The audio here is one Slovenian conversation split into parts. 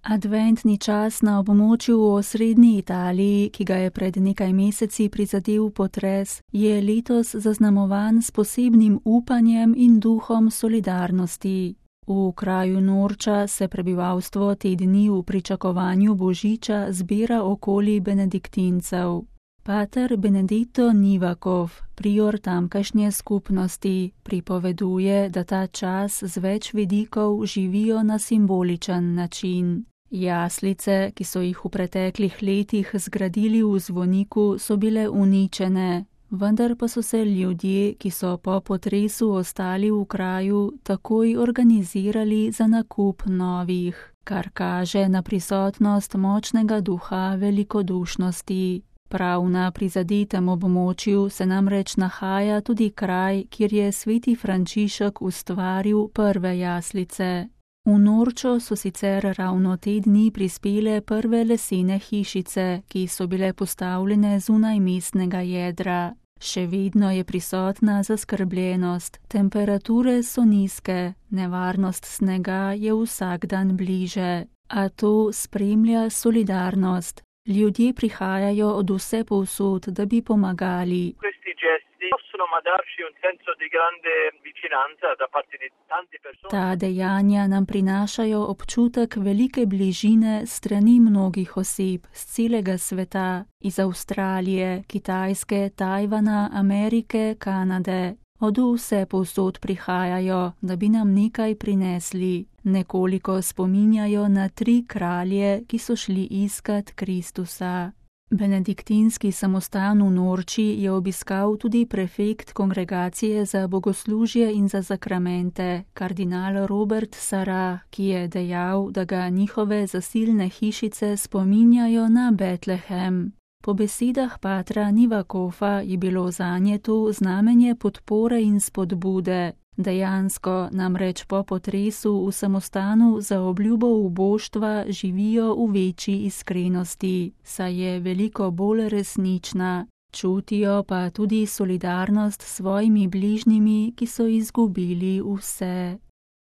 Adventni čas na območju v osrednji Italiji, ki ga je pred nekaj meseci prizadel potres, je letos zaznamovan s posebnim upanjem in duhom solidarnosti. V kraju Norča se prebivalstvo te dni v pričakovanju Božiča zbira okoli benediktincev. Pater Benedetto Nivakov, prior tamkajšnje skupnosti, pripoveduje, da ta čas z več vidikov živijo na simboličen način. Jaslice, ki so jih v preteklih letih zgradili v zvoniku, so bile uničene, vendar pa so se ljudje, ki so po potresu ostali v kraju, takoj organizirali za nakup novih, kar kaže na prisotnost močnega duha velikodušnosti. Prav na prizadetem območju se namreč nahaja tudi kraj, kjer je sveti Frančišek ustvaril prve jaslice. V Norčo so sicer ravno te dni prispele prve lesene hišice, ki so bile postavljene zunaj mestnega jedra. Še vedno je prisotna zaskrbljenost, temperature so nizke, nevarnost snega je vsak dan bliže, a to spremlja solidarnost. Ljudje prihajajo od vsepovsod, da bi pomagali. Ta dejanja nam prinašajo občutek velike bližine strani mnogih oseb z celega sveta, iz Avstralije, Kitajske, Tajvana, Amerike, Kanade. Od vsepovsod prihajajo, da bi nam nekaj prinesli. Nekoliko spominjajo na 3 kralje, ki so šli iskat Kristusa. Benediktinski samostan v Norči je obiskal tudi prefekt Kongregacije za bogoslužje in za sakramente, kardinal Robert Sarah, ki je dejal, da ga njihove zasilne hišice spominjajo na Betlehem. Po besedah patra Nivakova je bilo zanje to znamenje podpore in spodbude. Dejansko namreč po potresu v samostanu za obljubo uboštva živijo v večji iskrenosti, saj je veliko bolj resnična. Čutijo pa tudi solidarnost s svojimi bližnjimi, ki so izgubili vse.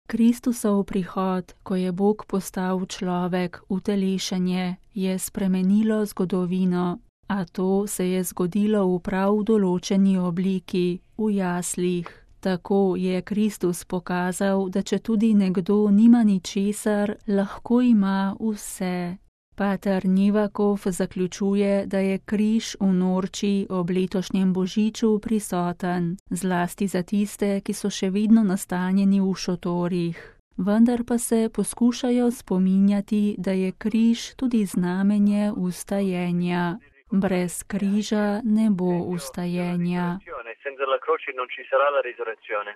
Kristusov prihod, ko je Bog postal človek, utelešenje, je spremenilo zgodovino, a to se je zgodilo v prav določeni obliki, v jaslih. Tako je Kristus pokazal, da če tudi nekdo nima ničesar, lahko ima vse. Pater Nivakov zaključuje, da je križ v Norči ob letošnjem Božiču prisoten, zlasti za tiste, ki so še vedno nastanjeni v šotorih. Vendar pa se poskušajo spominjati, da je križ tudi znamenje vstajenja. Brez križa ne bo vstajenja. Senza la croce non ci sarà la risurrezione.